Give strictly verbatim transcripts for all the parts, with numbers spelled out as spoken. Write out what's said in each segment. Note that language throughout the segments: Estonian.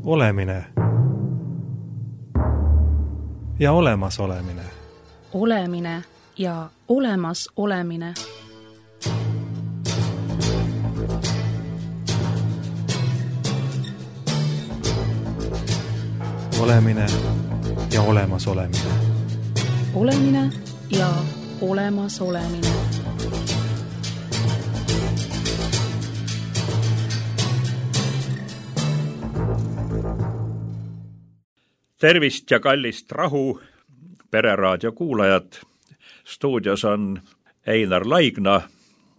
Olemine ja olemas olemine. Olemine ja olemas olemine. Olemine ja olemas olemine. Olemine ja olemas olemine. Tervist ja kallist rahu, Pereraadio kuulajad. Stuudios on Einar Laigna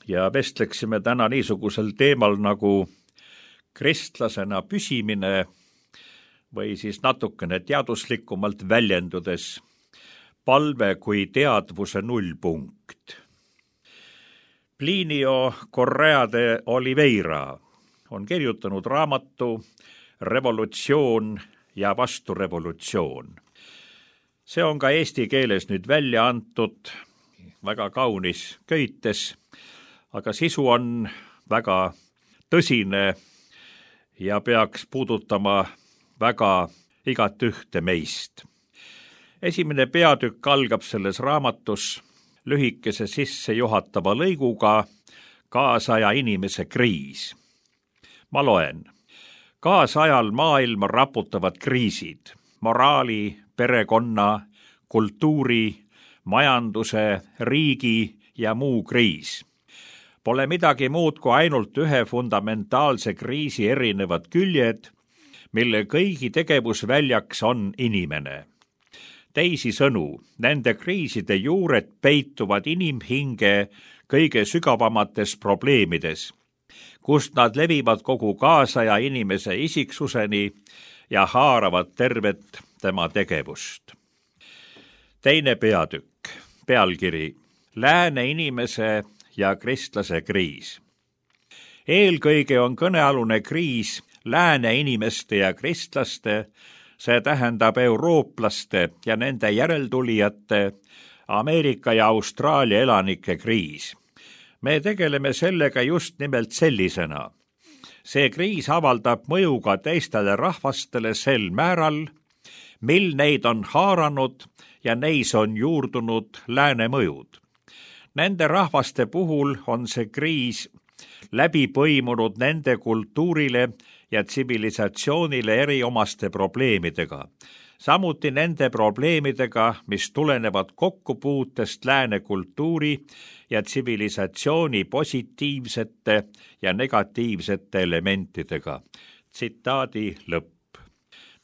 ja vestleksime täna niisugusel teemal nagu kristlasena püsimine või siis natukene teaduslikumalt väljendudes palve kui teadvuse nullpunkt. Plinio Correa de Oliveira on kirjutanud raamatu Revolutsioon ja vasturevolutsioon. See on ka eesti keeles nüüd välja antud, väga kaunis köites, aga sisu on väga tõsine ja peaks puudutama väga igat ühte meist. Esimene peatükk algab selles raamatus lühikese sissejuhatava lõiguga Kaasaja inimese kriis. Ma loen. Kaasajal maailma raputavad kriisid, moraali, perekonna, kultuuri, majanduse, riigi ja muu kriis. Pole midagi muud kui ainult ühe fundamentaalse kriisi erinevad küljed, mille kõigi tegevusväljaks on inimene. Teisisõnu, nende kriiside juured peituvad inimhinge kõige sügavamates probleemides, kust nad levivad kogu kaasaja inimese isiksuseni ja haaravad tervet tema tegevust. Teine peatükk, pealkiri Lääne inimese ja kristlase kriis. Eelkõige on kõnealune kriis lääne inimeste ja kristlaste, see tähendab eurooplaste ja nende järeltulijate, Ameerika ja Austraalia elanike kriis. Me tegeleme sellega just nimelt sellisena. See kriis avaldab mõju ka teistele rahvastele sel määral, mil neid on haaranud ja neis on juurdunud lääne mõjud. Nende rahvaste puhul on see kriis läbi põimunud nende kultuurile ja tsivilisatsioonile eriomaste probleemidega. Samuti nende probleemidega, mis tulenevad kokkupuutest lääne kultuuri ja tsivilisatsiooni positiivsete ja negatiivsete elementidega. Tsitaadi lõpp.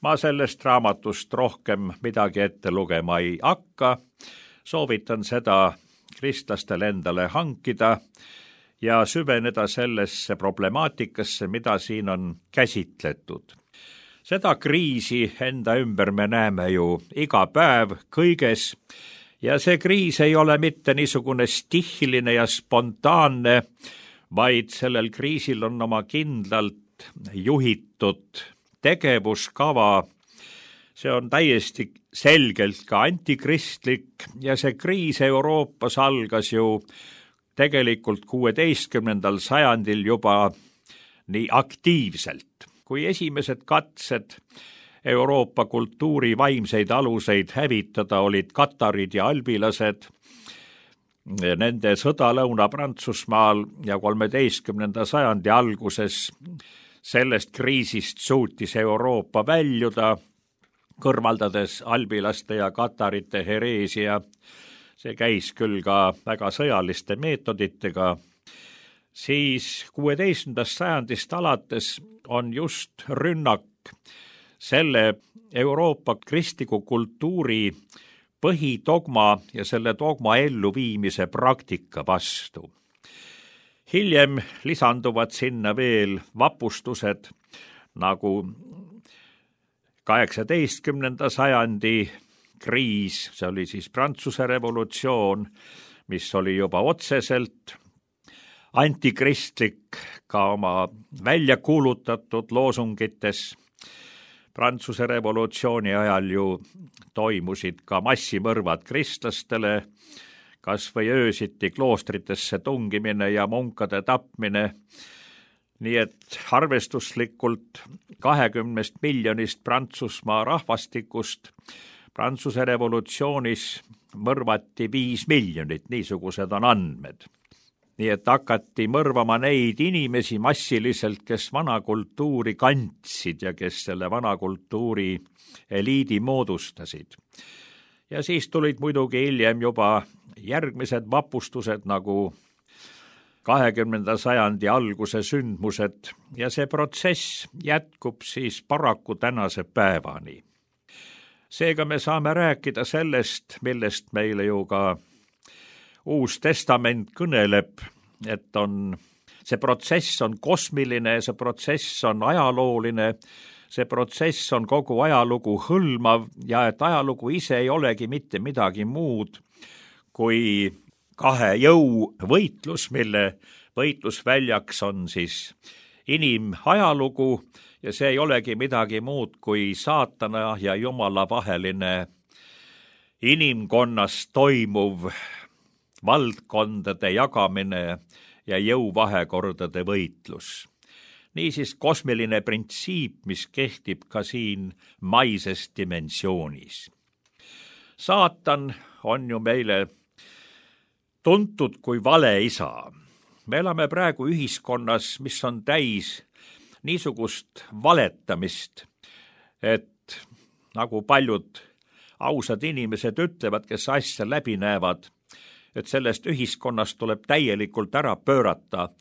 Ma sellest raamatust rohkem midagi ette lugema ei hakka. Soovitan seda kristlastel endale hankida ja süveneda sellesse problemaatikasse, mida siin on käsitletud. Seda kriisi enda ümber me näeme ju iga päev kõiges ja see kriis ei ole mitte niisugune stihiline ja spontaanne, vaid sellel kriisil on oma kindlalt juhitud tegevuskava. See on täiesti selgelt ka antikristlik ja see kriis Euroopas algas ju tegelikult kuueteistkümnendal sajandil juba nii aktiivselt. Kui esimesed katsed Euroopa kultuuri vaimseid aluseid hävitada olid katarid ja albilased, nende sõda Lõuna-Prantsusmaal ja kolmeteistkümnenda sajandi alguses sellest kriisist suutis Euroopa väljuda, kõrvaldades albilaste ja katarite hereesia. See käis küll ka väga sõjaliste meetoditega. Siis kuueteistkümnendast sajandist alates on just rünnak selle Euroopa kristliku kultuuri põhidogma ja selle dogma elluviimise praktika vastu. Hiljem lisanduvad sinna veel vapustused nagu kaheksateistkümnenda sajandi kriis, see oli siis Prantsuse revolutsioon, mis oli juba otseselt antikristlik ka oma välja kuulutatud loosungites. Prantsuse revolutsiooni ajal ju toimusid ka massimõrvad kristlastele, kas või öösiti kloostritesse tungimine ja munkade tapmine. nii et arvestuslikult kahekümnest miljonist Prantsusmaa rahvastikust Prantsuse revolutsioonis mõrvati viis miljonit, niisugused on andmed. Nii et hakati mõrvama neid inimesi massiliselt, kes vana kultuuri kandsid ja kes selle vana kultuuri eliidi moodustasid. Ja siis tulid muidugi hiljem juba järgmised vapustused nagu kahekümnenda sajandi alguse sündmused ja see protsess jätkub siis paraku tänase päevani. Seega me saame rääkida sellest, millest meile ju ka Uus Testament kõneleb, et on, see protsess on kosmiline, see protsess on ajalooline, see protsess on kogu ajalugu hõlmav ja et ajalugu ise ei olegi mitte midagi muud kui kahe jõu võitlus, mille võitlusväljaks on siis inimajalugu ja see ei olegi midagi muud kui saatana ja Jumala vaheline inimkonnas toimuv valdkondade jagamine ja jõuvahekordade võitlus. Niisiis kosmiline printsiip, mis kehtib ka siin maises dimensioonis. Saatan on ju meile tuntud kui valeisa. Me elame praegu ühiskonnas, mis on täis niisugust valetamist, et nagu paljud ausad inimesed ütlevad, kes asja läbi näevad, et sellest ühiskonnast tuleb täielikult ära pöörata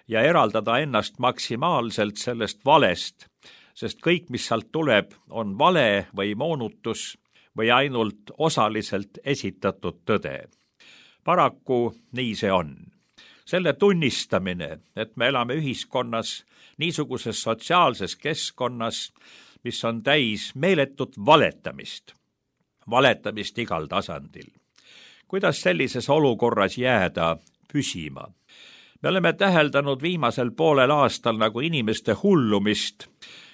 ja eraldada ennast maksimaalselt sellest valest, sest kõik, mis sealt tuleb, on vale või moonutus või ainult osaliselt esitatud tõde. Paraku nii see on. Selle tunnistamine, et me elame ühiskonnas niisuguses sotsiaalses keskkonnas, mis on täis meeletut valetamist, valetamist igal tasandil. Kuidas sellises olukorras jääda püsima? Me oleme täheldanud viimasel poolel aastal nagu inimeste hullumist,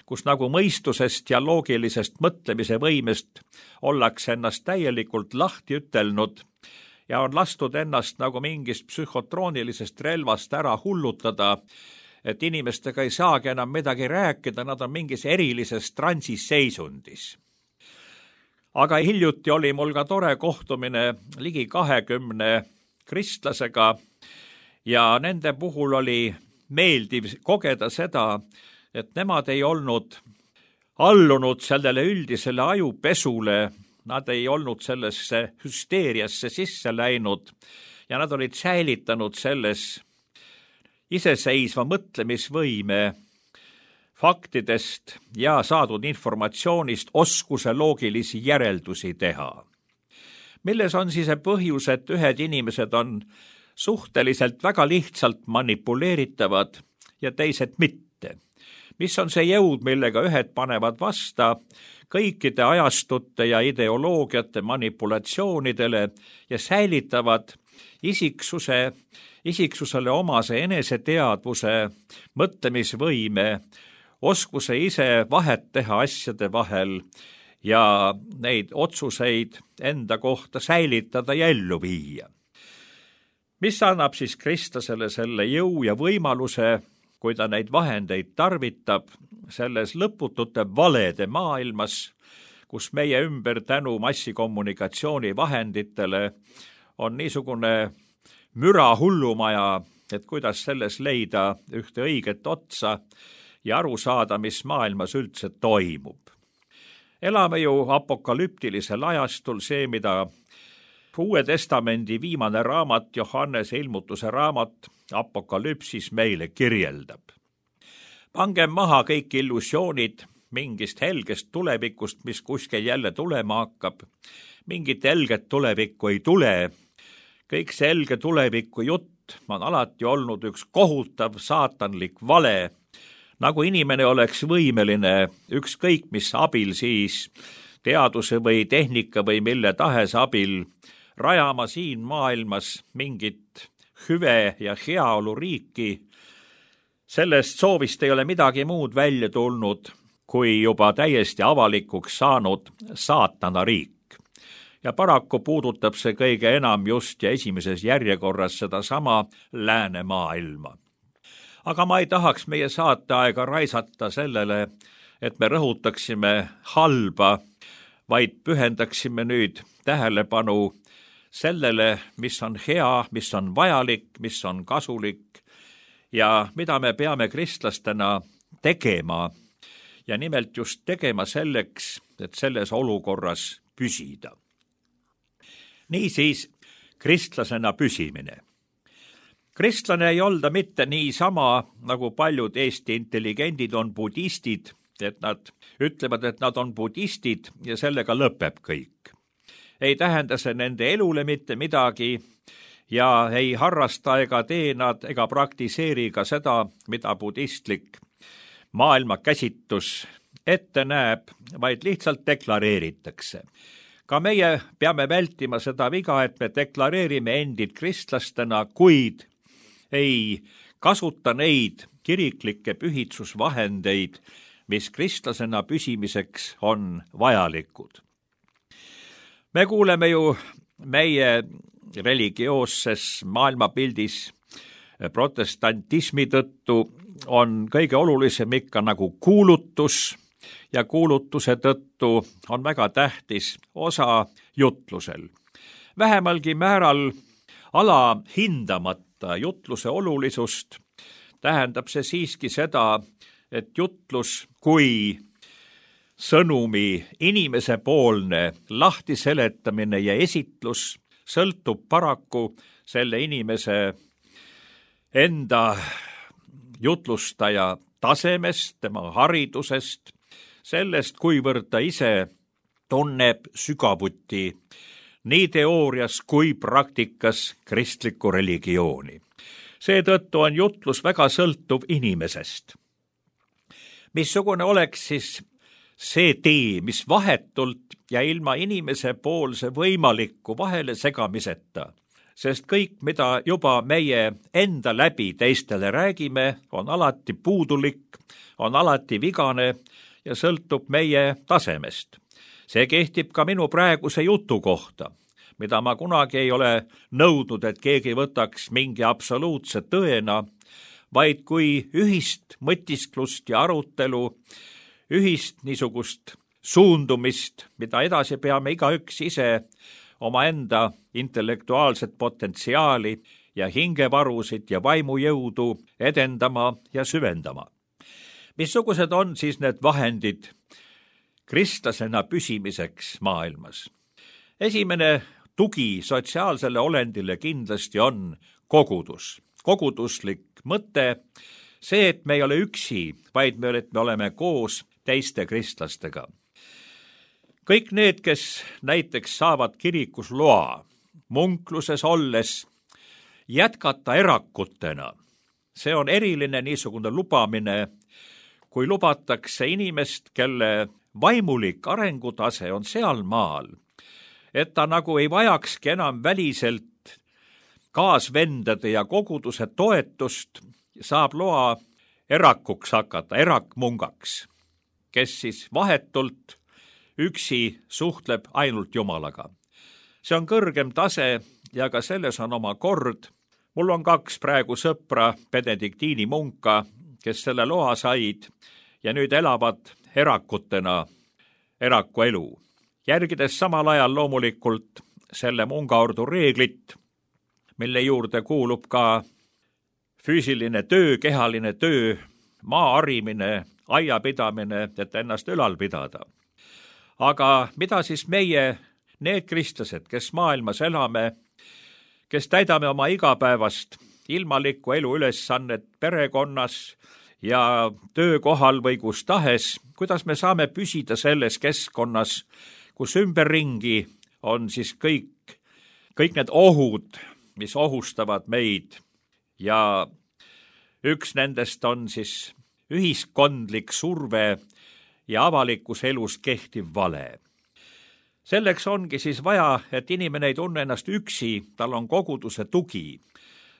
kus nagu mõistusest ja loogilisest mõtlemise võimest ollakse ennast täielikult lahti ütelnud ja on lastud ennast nagu mingist psühhotroonilisest relvast ära hullutada, et inimestega ei saagi enam midagi rääkida, nad on mingis erilises transiseisundis. Aga hiljuti oli mul ka tore kohtumine ligi kahekümne kristlasega ja nende puhul oli meeldiv kogeda seda, et nemad ei olnud allunud sellele üldisele ajupesule, nad ei olnud sellesse hüsteeriasse sisse läinud ja nad olid säilitanud selles iseseisva mõtlemisvõime faktidest ja saadud informatsioonist oskuse loogilisi järeldusi teha. Milles on siis see põhjus, et ühed inimesed on suhteliselt väga lihtsalt manipuleeritavad ja teised mitte? Mis on see jõud, millega ühed panevad vasta kõikide ajastute ja ideoloogiate manipulatsioonidele ja säilitavad isiksuse, isiksusele omase eneseteadvuse, mõtlemisvõime, oskuse ise vahet teha asjade vahel ja neid otsuseid enda kohta säilitada ja ellu viia. Mis annab siis kristlasele selle jõu ja võimaluse, kui ta neid vahendeid tarvitab selles lõputute valede maailmas, kus meie ümber tänu massikommunikatsiooni vahenditele on niisugune müra hullumaja, et kuidas selles leida ühte õiget otsa ja aru saada, mis maailmas üldse toimub. Elame ju apokalüptilisel ajastul, see, mida Uue Testamendi viimane raamat, Johannese ilmutuse raamat, Apokalüpsis meile kirjeldab. Pangem maha kõik illusioonid mingist helgest tulevikust, mis kuskil jälle tulema hakkab. Mingit helget tulevikku ei tule. Kõik see helge tuleviku jutt on alati olnud üks kohutav saatanlik vale, nagu inimene oleks võimeline ükskõik mis abil siis teaduse või tehnika või mille tahes abil rajama siin maailmas mingit hüve ja heaolu riiki. Sellest soovist ei ole midagi muud välja tulnud, kui juba täiesti avalikuks saanud saatana riik. Ja paraku puudutab see kõige enam just ja esimeses järjekorras sedasama lääne maailma. aga ma ei tahaks meie saateaega raisata sellele, et me rõhutaksime halba, vaid pühendaksime nüüd tähelepanu sellele, mis on hea, mis on vajalik, mis on kasulik ja mida me peame kristlastena tegema ja nimelt just tegema selleks, et selles olukorras püsida. Niisiis, kristlasena püsimine. Kristlane ei olda mitte niisama, nagu paljud Eesti intelligendid on budistid, et nad ütlevad, et nad on budistid ja sellega lõpeb kõik. Ei tähenda see nende elule mitte midagi ja ei harrasta ega tee nad ega praktiseeri ka seda, mida budistlik maailmakäsitus ette näeb, vaid lihtsalt deklareeritakse. Ka meie peame vältima seda viga, et me deklareerime endid kristlastena, kuid ei kasuta neid kiriklikke pühitsusvahendeid, mis kristlasena püsimiseks on vajalikud. Me kuuleme ju meie religioosses maailmapildis protestantismi tõttu on kõige olulisem ikka nagu kuulutus ja kuulutuse tõttu on väga tähtis osa jutlusel. Vähemalgi määral alahindamata jutluse olulisust tähendab see siiski seda, et jutlus kui sõnumi inimesepoolne lahtiseletamine ja esitlus sõltub paraku selle inimese enda jutlustaja tasemest, tema haridusest, sellest, kuivõrd ta ise tunneb sügavuti nii teoorias kui praktikas kristlikku religiooni. Seetõttu on jutlus väga sõltuv inimesest. Missugune oleks siis see tee, mis vahetult ja ilma inimese poolse võimaliku vahele segamiseta, sest kõik, mida juba meie enda läbi teistele räägime, on alati puudulik, on alati vigane ja sõltub meie tasemest. See kehtib ka minu praeguse jutu kohta, mida ma kunagi ei ole nõudnud, et keegi võtaks mingi absoluutse tõena, vaid kui ühist mõtisklust ja arutelu, ühist niisugust suundumist, mida edasi peame igaüks ise omaenda intellektuaalset potentsiaali ja hingevarusid ja vaimujõudu edendama ja süvendama. Missugused on siis need vahendid kristlasena püsimiseks maailmas? Esimene tugi sotsiaalsele olendile kindlasti on kogudus. Koguduslik mõte, see, et me ei ole üksi, vaid me, et me oleme koos teiste kristlastega. Kõik need, kes näiteks saavad kirikus loa, munkluses olles jätkata erakutena, see on eriline niisugune lubamine, kui lubatakse inimest, kelle vaimulik arengutase on seal maal, et ta nagu ei vajakski enam väliselt kaasvendade ja koguduse toetust, saab loa erakuks hakata, erakmungaks, kes siis vahetult üksi suhtleb ainult Jumalaga. See on kõrgem tase ja ka selles on oma kord. Mul on kaks praegu sõpra, benediktiini munka, kes selle loa said ja nüüd elavad erakutena eraku elu. Järgides samal ajal loomulikult selle mungaordu reeglit, mille juurde kuulub ka füüsiline töö, kehaline töö, maa harimine, aiapidamine, et ennast ülal pidada. Aga mida siis meie, need kristlased, kes maailmas elame, kes täidame oma igapäevast ilmalikku elu ülesannet perekonnas ja töökohal või kus tahes, kuidas me saame püsida selles keskkonnas, kus ümberringi on siis kõik, kõik need ohud, mis ohustavad meid ja üks nendest on siis ühiskondlik surve ja avalikus elus kehtiv vale. Selleks ongi siis vaja, et inimene ei tunne ennast üksi, tal on koguduse tugi.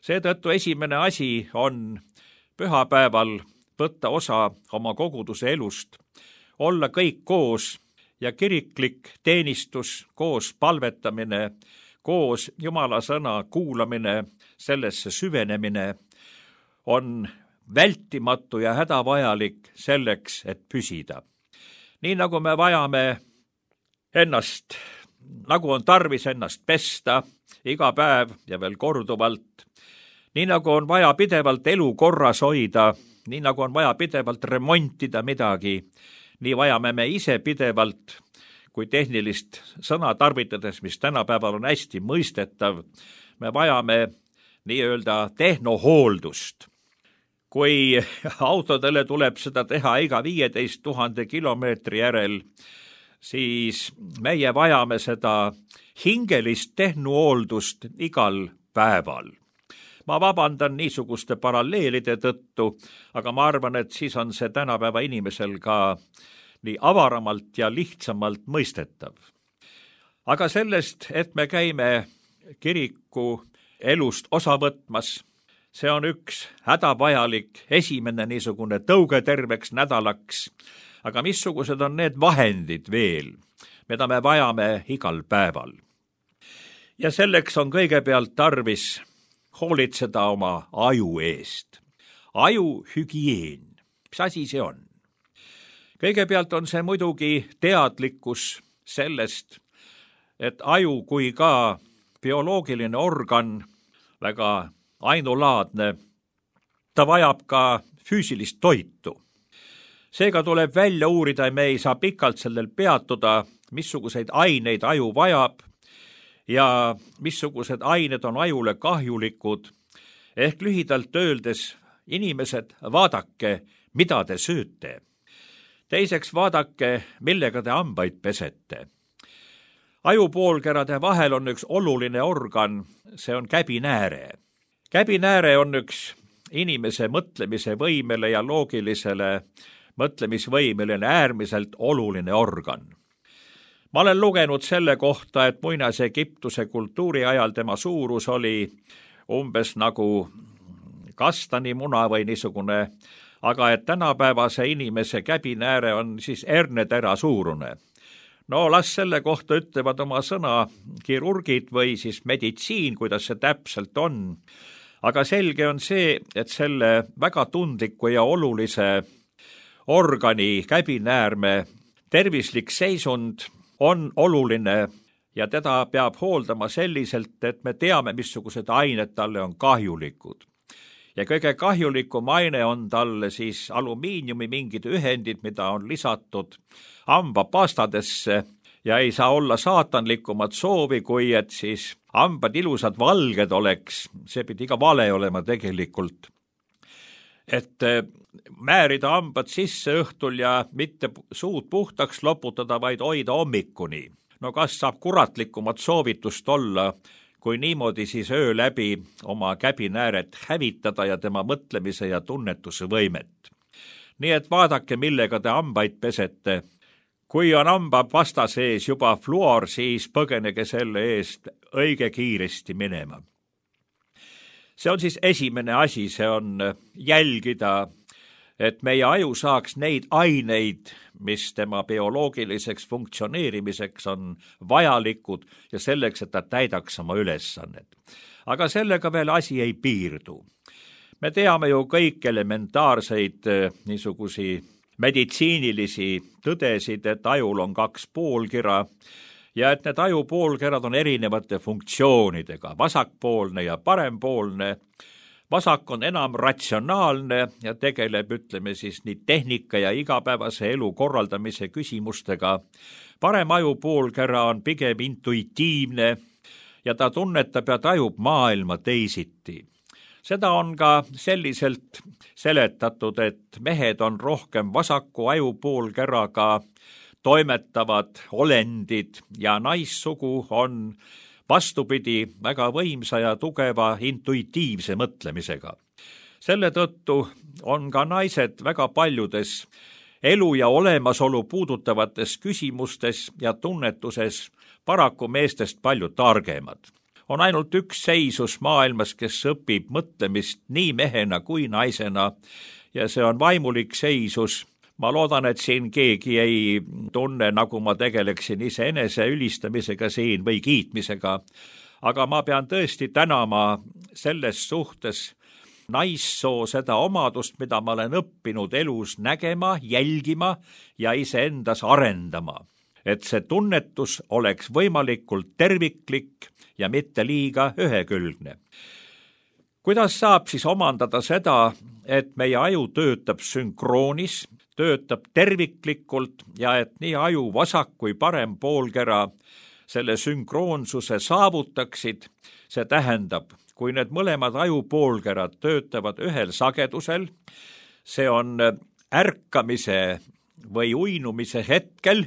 Seetõttu esimene asi on pühapäeval võtta osa oma koguduse elust, olla kõik koos ja kiriklik teenistus, koos palvetamine, koos Jumala sõna kuulamine, sellesse süvenemine on vältimatu ja hädavajalik selleks, et püsida. Nii nagu me vajame ennast, nagu on tarvis ennast pesta iga päev ja veel korduvalt, nii nagu on vaja pidevalt elu korras hoida, nii nagu on vaja pidevalt remontida midagi, nii vajame me ise pidevalt, kui tehnilist sõna tarvitades, mis tänapäeval on hästi mõistetav, me vajame nii-öelda tehnohooldust. Kui autodele tuleb seda teha iga viieteist tuhande kilomeetri järel, siis meie vajame seda hingelist tehnohooldust igal päeval. Ma vabandan niisuguste paralleelide tõttu, aga ma arvan, et siis on see tänapäeva inimesel ka nii avaramalt ja lihtsamalt mõistetav. Aga sellest, et me käime kiriku elust osa võtmas, see on üks hädavajalik esimene niisugune tõuge terveks nädalaks, aga missugused on need vahendid veel, mida me vajame igal päeval. Ja selleks on kõigepealt tarvis hoolitseda oma aju eest. Aju hügieen. Mis asi see on? Kõigepealt on see muidugi teadlikkus sellest, et aju kui ka bioloogiline organ, väga ainulaadne, ta vajab ka füüsilist toitu. Seega tuleb välja uurida, me ei saa pikalt sellel peatuda, missuguseid aineid aju vajab ja missugused ained on ajule kahjulikud. Ehk lühidalt öeldes, inimesed, vaadake, mida te sööte. Teiseks vaadake, millega te hambaid pesete. Ajupoolkerade vahel on üks oluline organ, see on käbinääre. Käbinääre on üks inimese mõtlemise võimele ja loogilisele mõtlemisvõimeline äärmiselt oluline organ. Ma olen lugenud selle kohta, et muinase Egiptuse kultuuri ajal tema suurus oli umbes nagu kastanimuna või niisugune, aga et tänapäevase inimese käbinääre on siis hernetera suurune. No las selle kohta ütlevad oma sõna kirurgid või siis meditsiin, kuidas see täpselt on. Aga selge on see, et selle väga tundliku ja olulise organi käbinäärme tervislik seisund on oluline ja teda peab hooldama selliselt, et me teame, missugused ained talle on kahjulikud. Ja kõige kahjulikum aine on talle siis alumiiniumi mingid ühendid, mida on lisatud hambapastadesse ja ei saa olla saatanlikumat soovi, kui et siis hambad ilusad valged oleks, see pidi ka vale olema tegelikult. Et määrida hambad sisse õhtul ja mitte suud puhtaks loputada, vaid hoida hommikuni. No kas saab kuratlikumat soovitust olla, kui niimoodi siis öö läbi oma käbinääret hävitada ja tema mõtlemise ja tunnetuse võimet. Nii et vaadake, millega te hambaid pesete. Kui on hambapasta sees juba fluor, siis põgenege selle eest õige kiiresti minema. See on siis esimene asi, see on jälgida, et meie aju saaks neid aineid, mis tema bioloogiliseks funktsioneerimiseks on vajalikud ja selleks, et ta täidaks oma ülesannet. Aga sellega veel asi ei piirdu. Me teame ju kõik elementaarseid niisugusi meditsiinilisi tõdesid, et ajul on kaks poolkira ja et need ajupoolkerad on erinevate funktsioonidega, vasakpoolne ja parempoolne. Vasak on enam ratsionaalne ja tegeleb, ütleme siis, nii tehnika ja igapäevase elu korraldamise küsimustega. Parem ajupoolkera on pigem intuitiivne ja ta tunnetab ja tajub maailma teisiti. Seda on ka selliselt seletatud, et mehed on rohkem vasaku ajupoolkeraga toimetavad olendid ja naissugu on vastupidi väga võimsa ja tugeva intuitiivse mõtlemisega. Selle tõttu on ka naised väga paljudes elu ja olemasolu puudutavates küsimustes ja tunnetuses paraku meestest palju targemad. On ainult üks seisus maailmas, kes õpib mõtlemist nii mehena kui naisena ja see on vaimulik seisus. Ma loodan, et siin keegi ei tunne, nagu ma tegeleksin iseenese ülistamisega siin või kiitmisega, aga ma pean tõesti tänama selles suhtes naissoo seda omadust, mida ma olen õppinud elus nägema, jälgima ja iseendas arendama. Et see tunnetus oleks võimalikult terviklik ja mitte liiga ühekülgne. Kuidas saab siis omandada seda, et meie aju töötab sünkroonis, töötab terviklikult ja et nii aju vasak kui parem poolkera selle sünkroonsuse saavutaksid? See tähendab, kui need mõlemad ajupoolkerad töötavad ühel sagedusel, see on ärkamise või uinumise hetkel,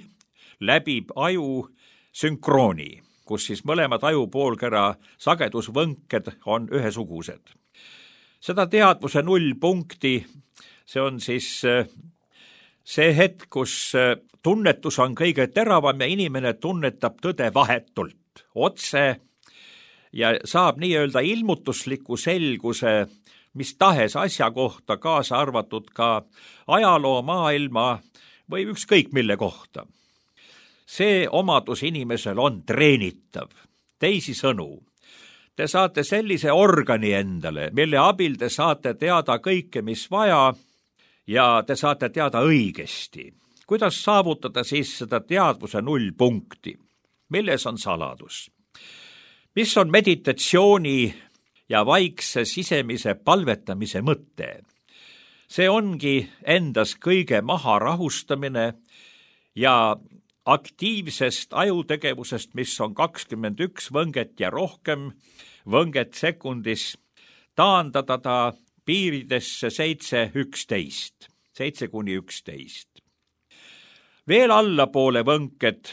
läbib aju sünkrooni, kus siis mõlemad ajupoolkera sagedusvõnked on ühesugused. Seda teadvuse nullpunkti, see on siis see hetk, kus tunnetus on kõige teravam ja inimene tunnetab tõde vahetult, otse ja saab nii-öelda ilmutusliku selguse mis tahes asja kohta, kaasa arvatud ka ajaloo, maailma või ükskõik mille kohta. See omadus inimesel on treenitav. Teisisõnu, te saate sellise organi endale, mille abil te saate teada kõike, mis vaja, ja te saate teada õigesti. Kuidas saavutada siis seda teadvuse nullpunkti? Milles on saladus? Mis on meditatsiooni ja vaikse sisemise palvetamise mõte? See ongi endas kõige maha rahustamine ja aktiivsest ajutegevusest, mis on kakskümmend üks võnget ja rohkem võnget sekundis, taandada ta piiridesse seitse üksteist, seitse kuni üksteist. Veel allapoole võnked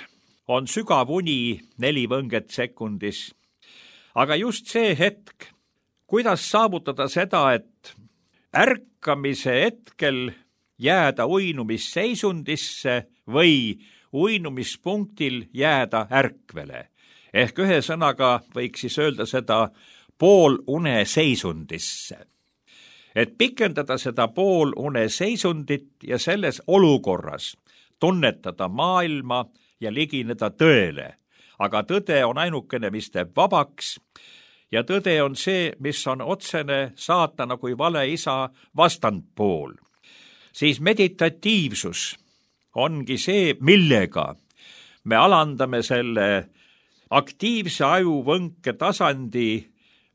on sügav uni neli võnget sekundis, aga just see hetk, kuidas saavutada seda, et ärkamise hetkel jääda uinumisseisundisse või uinumispunktil jääda ärkvele. Ehk ühe sõnaga võiks siis öelda seda poolune seisundisse. Et pikendada seda poolune seisundit ja selles olukorras tunnetada maailma ja ligineda tõele. Aga tõde on ainukene, mis teeb vabaks ja tõde on see, mis on otsene saatana kui vale isa vastandpool. Siis meditatiivsus ongi see, millega me alandame selle aktiivse ajuvõnke tasandi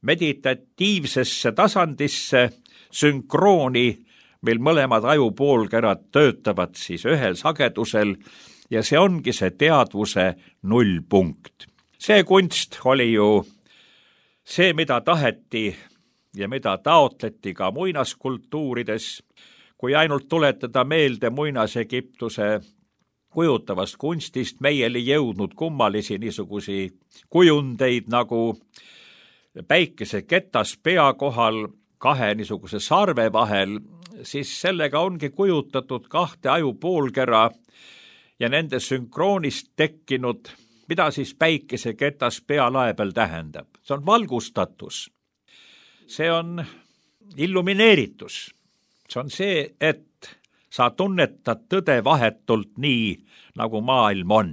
meditatiivsesse tasandisse sünkrooni, mil mõlemad ajupoolkerad töötavad siis ühel sagedusel ja see ongi see teadvuse nullpunkt. See kunst oli ju see, mida taheti ja mida taotleti ka muinaskultuurides, kui ainult tuletada meelde muinas-Egiptuse kujutavast kunstist, meieli jõudnud kummalisi niisugusi kujundeid nagu päikese ketas pea kohal kahe niisuguse sarve vahel, siis sellega ongi kujutatud kahte ajupoolkera ja nende sünkroonist tekkinud, mida siis päikese ketas pea lae peal tähendab. See on valgustatus, see on illumineeritus. See on see, et sa tunnetad tõde vahetult nii, nagu maailm on.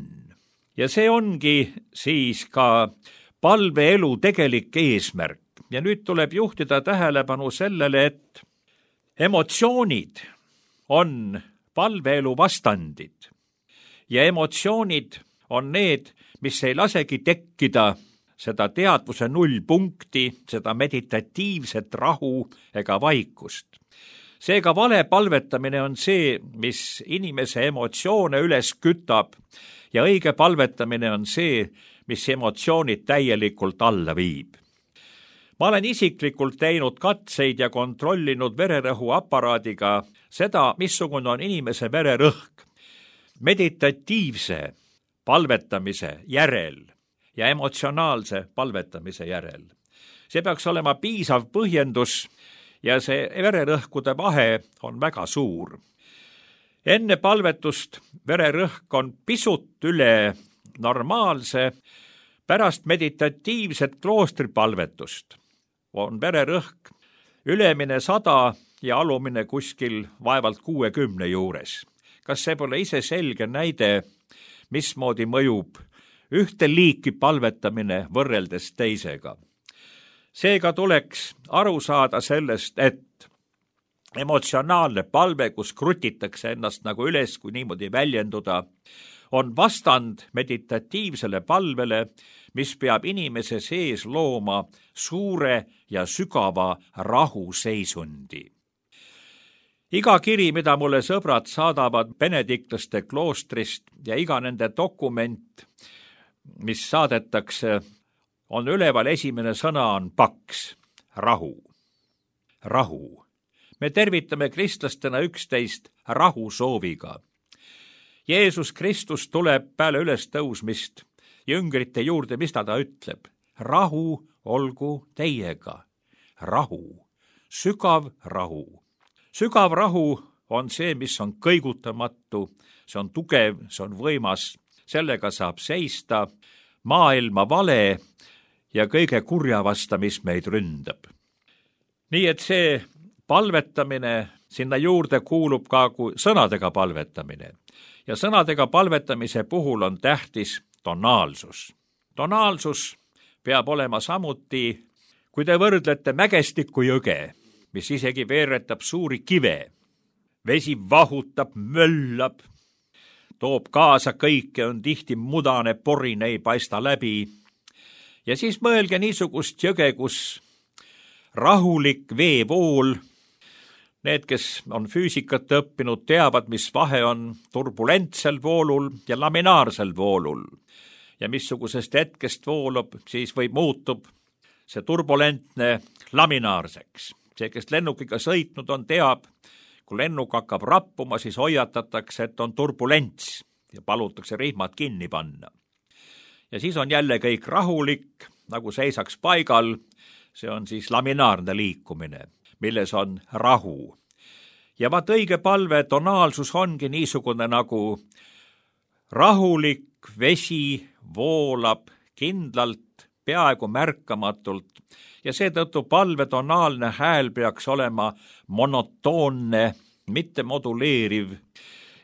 Ja see ongi siis ka palveelu tegelik eesmärk. Ja nüüd tuleb juhtida tähelepanu sellele, et emotsioonid on palveelu vastandid. Ja emotsioonid on need, mis ei lasegi tekkida seda teadvuse nullpunkti, seda meditatiivset rahu ega vaikust. Seega vale palvetamine on see, mis inimese emotsioone üles kütab ja õige palvetamine on see, mis emotsioonid täielikult alla viib. Ma olen isiklikult teinud katseid ja kontrollinud vererõhuaparaadiga seda, missugune on inimese vererõhk. Meditatiivse palvetamise järel ja emotsionaalse palvetamise järel. See peaks olema piisav põhjendus ja see vererõhkude vahe on väga suur. Enne palvetust vererõhk on pisut üle normaalse, pärast meditatiivset kloostripalvetust on vererõhk ülemine sada ja alumine kuskil vaevalt kuuekümne juures. Kas see pole ise selge näide, mismoodi mõjub ühte liiki palvetamine võrreldes teisega? seega tuleks aru saada sellest, et emotsionaalne palve, kus krutitakse ennast nagu üles, kui niimoodi väljenduda, on vastand meditatiivsele palvele, mis peab inimese sees looma suure ja sügava rahuseisundi. Iga kiri, mida mulle sõbrad saadavad benediktlaste kloostrist ja iga nende dokument, mis saadetakse, on üleval esimene sõna on paks, rahu, rahu. Me tervitame kristlastena üksteist rahu sooviga. Jeesus Kristus tuleb peale ülestõusmist jüngrite juurde, mis ta ta ütleb? Rahu olgu teiega. Rahu, sügav rahu. Sügav rahu on see, mis on kõigutamatu, see on tugev, see on võimas, sellega saab seista maailma vale ja kõige kurja vasta, mis meid ründab. Nii et see palvetamine, sinna juurde kuulub ka sõnadega palvetamine. Ja sõnadega palvetamise puhul on tähtis tonaalsus. Tonaalsus peab olema samuti, kui te võrdlete mägestiku jõge, mis isegi veeretab suuri kive. Vesi vahutab, möllab, toob kaasa kõike, on tihti mudane, porine, ei paista läbi. Ja siis mõelge niisugust jõge, kus rahulik veevool, need, kes on füüsikat õppinud, teavad, mis vahe on turbulentsel voolul ja laminaarsel voolul. Ja missugusest hetkest voolub, siis või muutub see turbulentne laminaarseks. See, kes lennukiga sõitnud on, teab, kui lennuk hakkab rappuma, siis hoiatatakse, et on turbulents ja palutakse rihmad kinni panna. Ja siis on jälle kõik rahulik, nagu seisaks paigal, see on siis laminaarne liikumine, milles on rahu. Ja vaat õige palve tonaalsus ongi niisugune nagu rahulik vesi voolab kindlalt, peaaegu märkamatult ja seetõttu palve tonaalne hääl peaks olema monotoonne, mitte moduleeriv.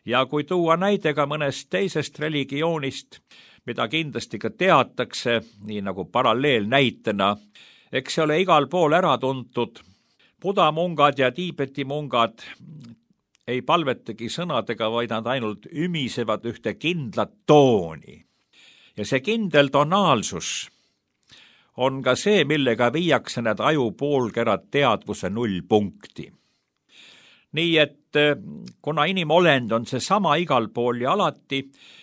Ja kui tuua näide ka mõnest teisest religioonist, mida kindlasti ka teatakse, nii nagu paralleelnäitena, eks see ole igal pool ära tuntud. Buda mungad ja Tiibeti mungad ei palvetagi sõnadega, vaid nad ainult ümisevad ühte kindlat tooni. Ja see kindel tonaalsus on ka see, millega viiakse need ajupoolkerad teadvuse nullpunkti. Nii et kuna inimolend on see sama igal pool ja alati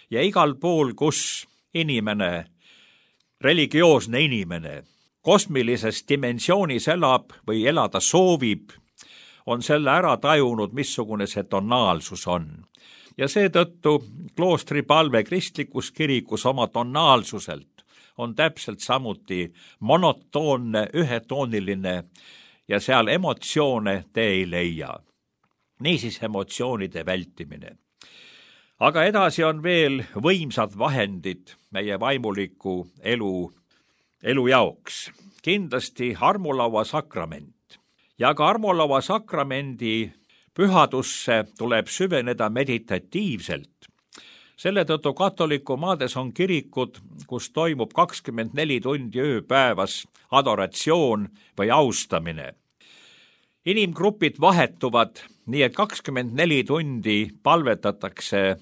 ja igal pool, kus inimene, religioosne inimene, kosmilises dimensioonis elab või elada soovib, on selle ära tajunud, missugune see tonaalsus on. Ja seetõttu kloostri palve kristlikus kirikus oma tonaalsuselt on täpselt samuti monotoonne, ühetooniline ja seal emotsioone te ei leia. Niisiis emotsioonide vältimine. Aga edasi on veel võimsad vahendid meie vaimuliku elu, elu jaoks. Kindlasti armulaua sakrament. Ja ka armulaua sakramendi pühadusse tuleb süveneda meditatiivselt. Selle tõttu katoliku maades on kirikud, kus toimub kakskümmend neli tundi ööpäevas adoratsioon või austamine. Inimgrupid vahetuvad, nii et kakskümmend neli tundi palvetatakse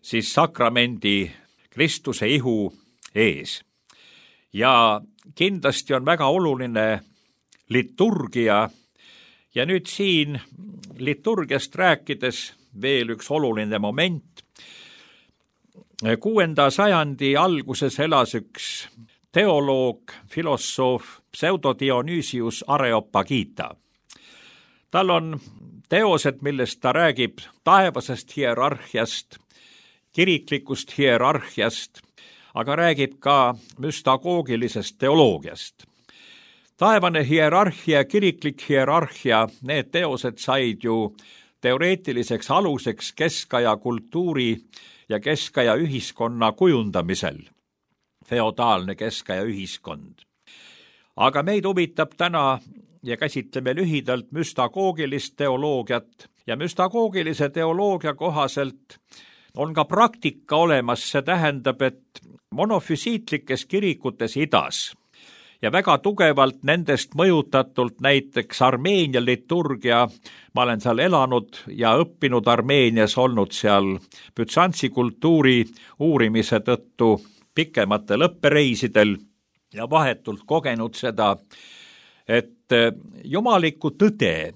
siis sakramendi Kristuse ihu ees. Ja kindlasti on väga oluline liturgia ja nüüd siin liturgiast rääkides veel üks oluline moment. Kuuenda sajandi alguses elas üks teoloog, filosoof, Pseudodionysius Areopagita. Tal on teosed, millest ta räägib taevasest hierarhiast, kiriklikust hierarhiast, aga räägib ka müstagoogilisest teoloogiast. Taevane hierarhia, kiriklik hierarhia, need teosed said ju teoreetiliseks aluseks keskaja kultuuri ja keskaja ühiskonna kujundamisel. Feodaalne keskaja ühiskond. Aga meid huvitab täna ja käsitleme lühidalt müstagoogilist teoloogiat ja müstagoogilise teoloogia kohaselt on ka praktika olemas, see tähendab, et monofüsiitlikes kirikutes idas ja väga tugevalt nendest mõjutatult näiteks Armeenia liturgia, ma olen seal elanud ja õppinud Armeenias, olnud seal bütsantsi kultuuri uurimise tõttu pikematel õppereisidel ja vahetult kogenud seda, et jumalikku tõde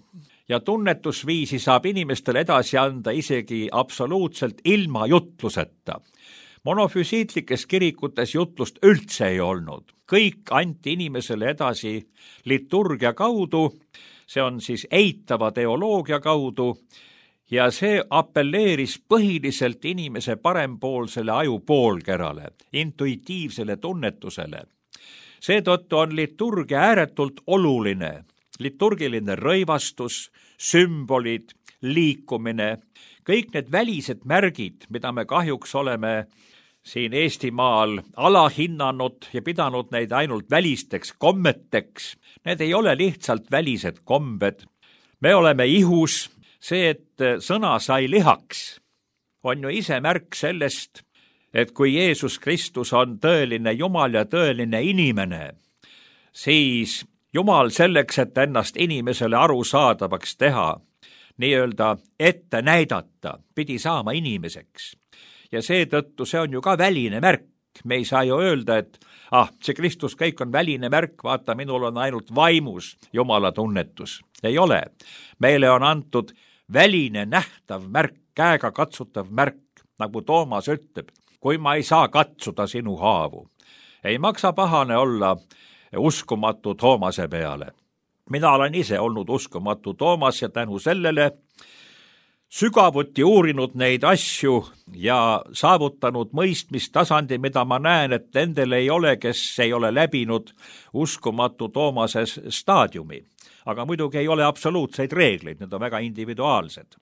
ja tunnetusviisi saab inimestele edasi anda isegi absoluutselt ilma jutluseta. Monofüsiitlikes kirikutes jutlust üldse ei olnud. Kõik anti inimesele edasi liturgia kaudu, see on siis eitava teoloogia kaudu, ja see appelleeris põhiliselt inimese parempoolsele ajupoolkerale, intuitiivsele tunnetusele. Seetõttu on liturgia ääretult oluline. Liturgiline rõivastus, sümbolid, liikumine, kõik need välised märgid, mida me kahjuks oleme siin Eestimaal alahinnanud ja pidanud neid ainult välisteks kommeteks, need ei ole lihtsalt välised kombed. Me oleme ihus, see, et sõna sai lihaks, on ju ise märk sellest, et kui Jeesus Kristus on tõeline Jumal ja tõeline inimene, siis Jumal selleks, et ennast inimesele arusaadavaks teha, nii-öelda ette näidata, pidi saama inimeseks. Ja seetõttu see on ju ka väline märk. Me ei saa ju öelda, et ah, see Kristus kõik on väline märk, vaata, minul on ainult vaimus Jumala tunnetus. Ei ole. Meile on antud väline nähtav märk, käega katsutav märk, nagu Toomas ütleb, kui ma ei saa katsuda sinu haavu. Ei maksa pahane olla uskumatu Toomase peale. Mina olen ise olnud uskumatu Toomas ja tänu sellele sügavuti uurinud neid asju ja saavutanud mõistmistasandi, mida ma näen, et nendel ei ole, kes ei ole läbinud uskumatu Toomase staadiumi. Aga muidugi ei ole absoluutseid reegleid, need on väga individuaalsed.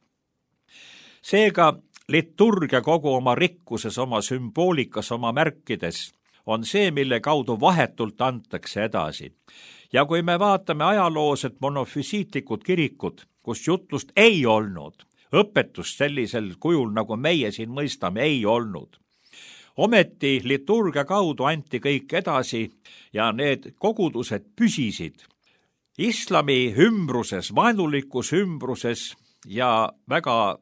Seega liturgia kogu oma rikkuses, oma sümboolikas, oma märkides on see, mille kaudu vahetult antakse edasi. Ja kui me vaatame ajaloos, et monofüsiitlikud kirikud, kus jutlust ei olnud, õpetust sellisel kujul, nagu meie siin mõistame, ei olnud. Ometi liturgia kaudu anti kõik edasi ja need kogudused püsisid islami ümbruses, vaenulikus ümbruses ja väga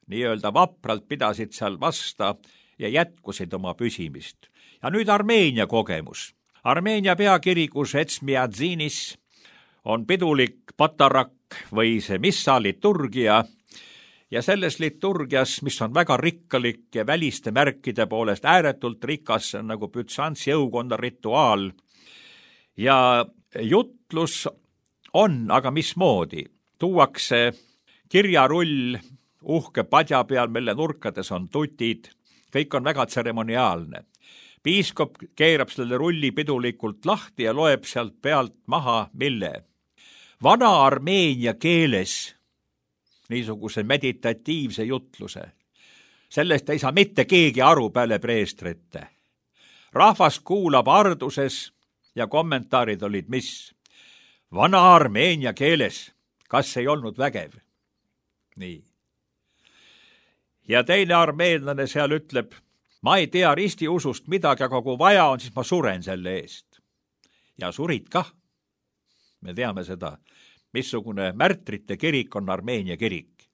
nii-öelda vapralt pidasid seal vasta ja jätkusid oma püsimist. Ja nüüd Armeenia kogemus. Armeenia peakirikus Etsmiadzinis on pidulik patarak või see missa liturgia ja selles liturgias, mis on väga rikkalik ja väliste märkide poolest ääretult rikas, see on nagu bütsantsi jõukonna rituaal ja jutlus on, aga mismoodi? Tuuakse kirjarull uhke padja peal, mille nurkades on tutid, kõik on väga tseremoniaalne. Piiskop keerab selle rulli pidulikult lahti ja loeb sealt pealt maha mille. Vana Armeenia keeles niisuguse meditatiivse jutluse. Sellest ei saa mitte keegi aru peale preestrite. Rahvas kuulab arduses ja kommentaarid olid mis? Vana Armeenia keeles, kas ei olnud vägev? Nii. Ja teine armeenlane seal ütleb, ma ei tea ristiusust midagi, aga kui vaja on, siis ma suren selle eest. Ja surid kah. Me teame seda, missugune märtrite kirik on Armeenia kirik.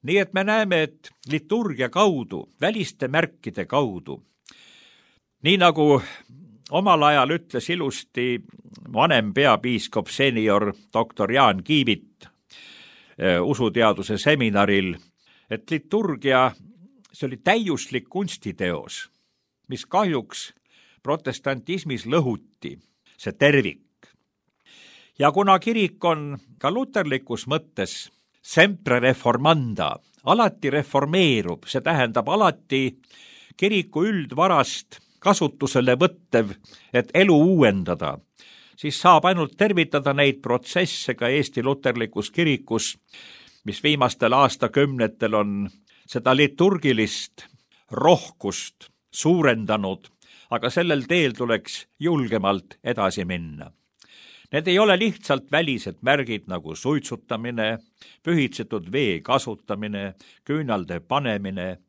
Nii et me näeme, et liturgia kaudu, väliste märkide kaudu, nii nagu omal ajal ütles ilusti vanem peapiiskop senior doktor Jaan Kiivit usuteaduse seminaril, et liturgia, see oli täiuslik kunstiteos, mis kahjuks protestantismis lõhuti, see tervik. Ja kuna kirik on ka luterlikus mõttes sempre reformanda, alati reformeerub, see tähendab alati kiriku üldvarast kasutusele võttev, et elu uuendada, siis saab ainult tervitada neid protsesse ka Eesti luterlikus kirikus, mis viimastel aastakümnetel on seda liturgilist rohkust suurendanud, aga sellel teel tuleks julgemalt edasi minna. Need ei ole lihtsalt välised märgid nagu suitsutamine, pühitsetud vee kasutamine, küünalde panemine,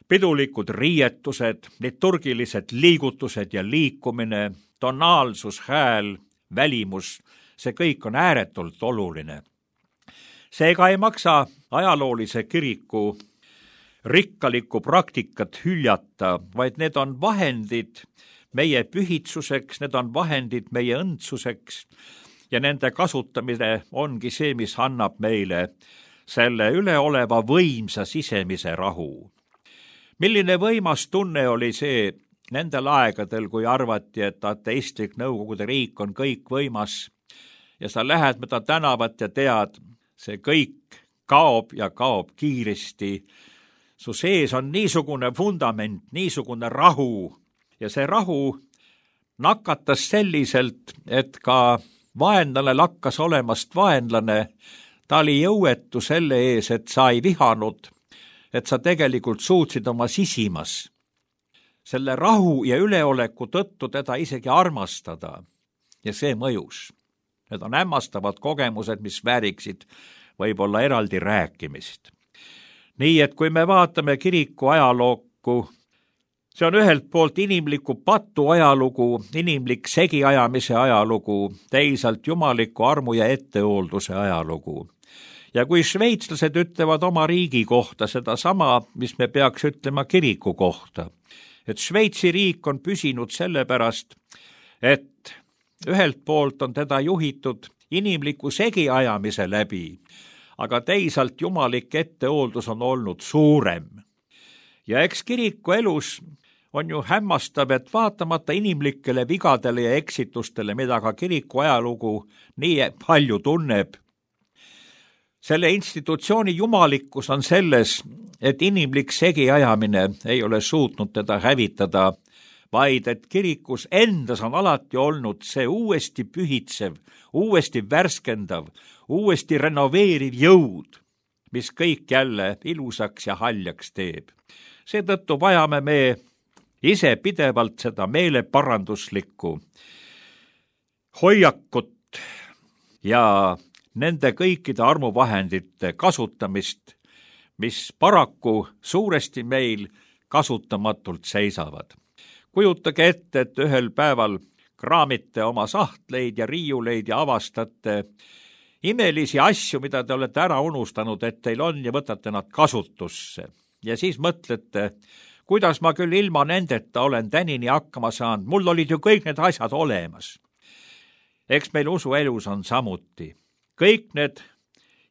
pidulikud riietused, liturgilised liigutused ja liikumine, tonaalsus, hääl, välimus, see kõik on ääretult oluline. Seega ei maksa ajaloolise kiriku rikkalikku praktikat hüljata, vaid need on vahendid meie pühitsuseks, need on vahendid meie õndsuseks ja nende kasutamine ongi see, mis annab meile selle üleoleva võimsa sisemise rahu. Milline võimas tunne oli see nendel aegadel, kui arvati, et ateistlik Nõukogude riik on kõik võimas ja sa lähed mööda tänavat ja tead, see kõik kaob ja kaob kiiresti. Su sees on niisugune fundament, niisugune rahu ja see rahu nakatas selliselt, et ka vaenlane lakkas olemast vaenlane. Ta oli jõuetu selle ees, et sa ei vihanud, et sa tegelikult suutsid oma sisimas selle rahu ja üleoleku tõttu teda isegi armastada ja see mõjus. Need on hämmastavad kogemused, mis vääriksid võib-olla eraldi rääkimist. Nii et kui me vaatame kiriku ajalooku, see on ühelt poolt inimliku patu ajalugu, inimlik segiajamise ajalugu, teisalt jumaliku armu ja ettehoolduse ajalugu. Ja kui šveitslased ütlevad oma riigi kohta seda sama, mis me peaks ütlema kiriku kohta, et Šveitsi riik on püsinud sellepärast, et ühelt poolt on teda juhitud inimliku segiajamise läbi, aga teisalt jumalik ettehooldus on olnud suurem. Ja eks kiriku elus on ju hämmastav, et vaatamata inimlikele vigadele ja eksitustele, mida ka kiriku ajalugu nii palju tunneb, selle institutsiooni jumalikkus on selles, et inimlik segiajamine ei ole suutnud teda hävitada, vaid et kirikus endas on alati olnud see uuesti pühitsev, uuesti värskendav, uuesti renoveeriv jõud, mis kõik jälle ilusaks ja haljaks teeb. Seetõttu vajame me ise pidevalt seda meeleparanduslikku hoiakut ja nende kõikide armuvahendite kasutamist, mis paraku suuresti meil kasutamatult seisavad. Kujutage ette, et ühel päeval kraamite oma sahtleid ja riiuleid ja avastate imelisi asju, mida te olete ära unustanud, et teil on ja võtate nad kasutusse. Ja siis mõtlete, kuidas ma küll ilma nendeta olen tänini hakkama saanud, mul olid ju kõik need asjad olemas. Eks meil usuelus on samuti. Kõik need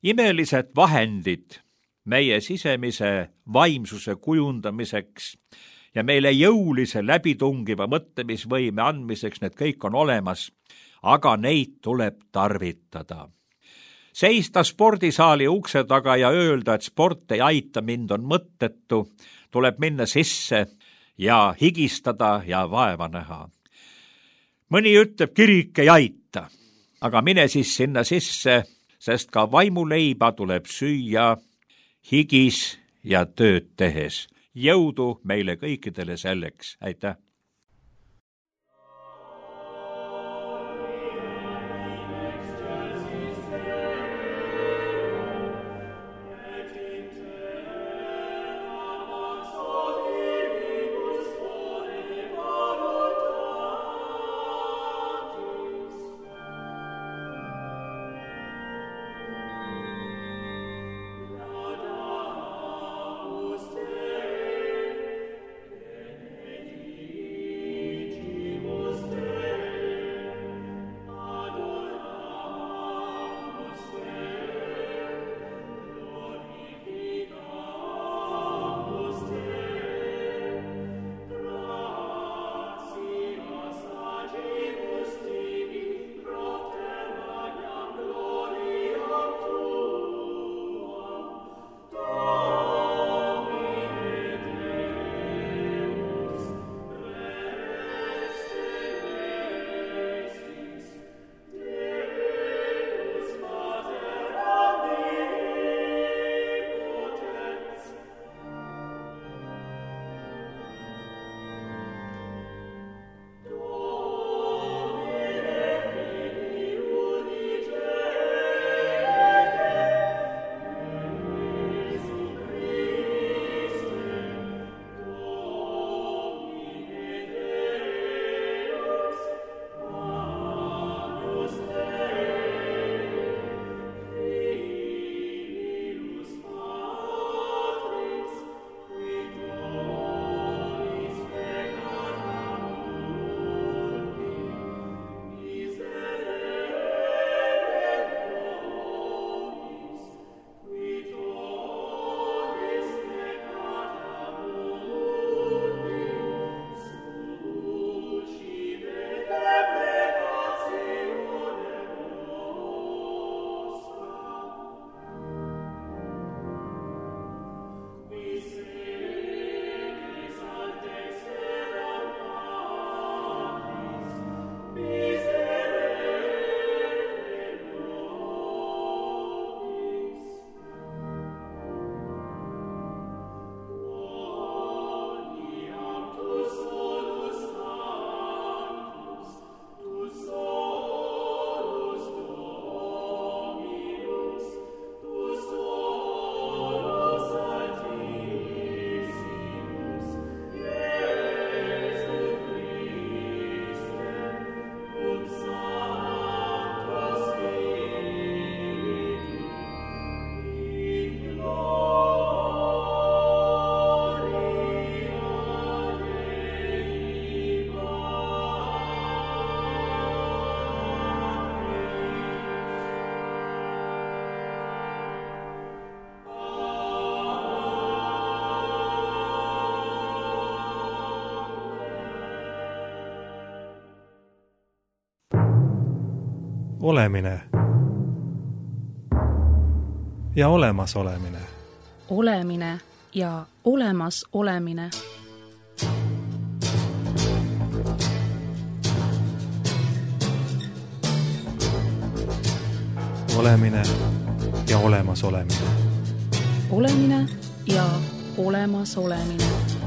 imelised vahendid meie sisemise vaimsuse kujundamiseks ja meile jõulise läbitungiva mõtlemisvõime andmiseks, need kõik on olemas, aga neid tuleb tarvitada. Seista spordisaali ukse taga ja öelda, et sport ei aita mind, on mõttetu, tuleb minna sisse ja higistada ja vaeva näha. Mõni ütleb, kirik ei aita, aga mine siis sinna sisse, sest ka vaimuleiba tuleb süüa higis ja tööd tehes. Jõudu meile kõikidele selleks. Aitäh! olemine ja olemasolemine. Olemine ja olemas olemine. Olemine ja olemas olemine. Olemine ja olemas olemine.